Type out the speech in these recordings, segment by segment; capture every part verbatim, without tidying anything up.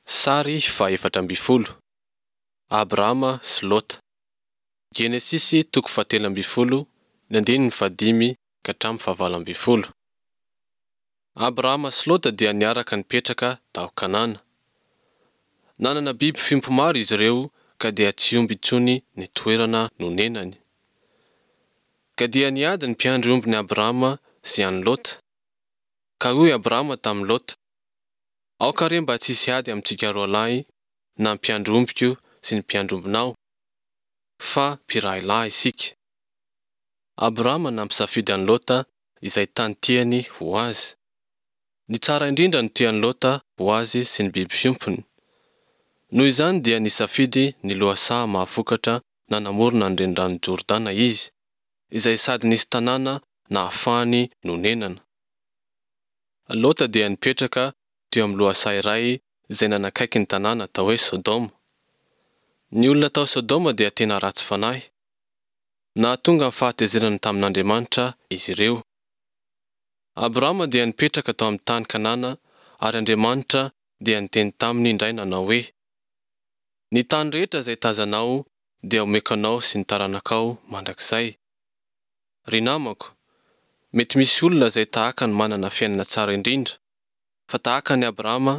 Sary fahefatra ambin'ny folo. Abrahama sy Lota. Genesisy toko fahatelo ambin'ny folo, ny andininy fahadimy ka hatramin'ny fahavalo ambin'ny folo. Abrahama sy Lota dia niaraka nipetraka tao Kanana. Nanana biby fiompy maro izy ireo ka dia tsy omby intsony ny toerana nonenany. Ka dia niady ny mpiandry ombin'i Abrahama sy an'i Lota. Ka hoy Abrahama tamin'i Lota, Aoka re mba tsy hisy ady amintsika roa lahy na ny mpiandry ombiko sy ny mpiandry ombinao, fa mpirahilahy isika. Abrahama nampisafidy an'i Lota izay tany tiany ho azy. Ny tsara indrindra no tian'i Lota ho azy sy ny biby fiompiny. Noho izany dia nisafidy ny lohasaha mahavokatra nanamorona ny reniranon'i Jordana izy, izay sady nisy tanàna nahafahany nonenana. Lota dia nipetraka teo amin'ny lohasaha iray izay nanakaiky ny tanàna atao hoe Sodoma. Ny olona tao Sodoma dia tena ratsy fanahy. Nahatonga ny fahatezerana tamin'Andriamanitra izy ireo. Abrahama dia nipetraka tao amin'ny tany Kanana ary Andriamanitra dia niteny taminy indray nanao hoe, Ny tany rehetra izay tazanao dia omeko anao sy ny taranakao mandrakizay. Ry namako, mety misy olona izay tahaka ny manana fiainana tsara indrindra, fa tahaka an'i Abrahama,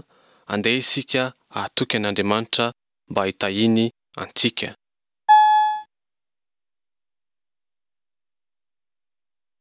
andeha isika hahatoky an'Andriamanitra mba hitahiany antsika.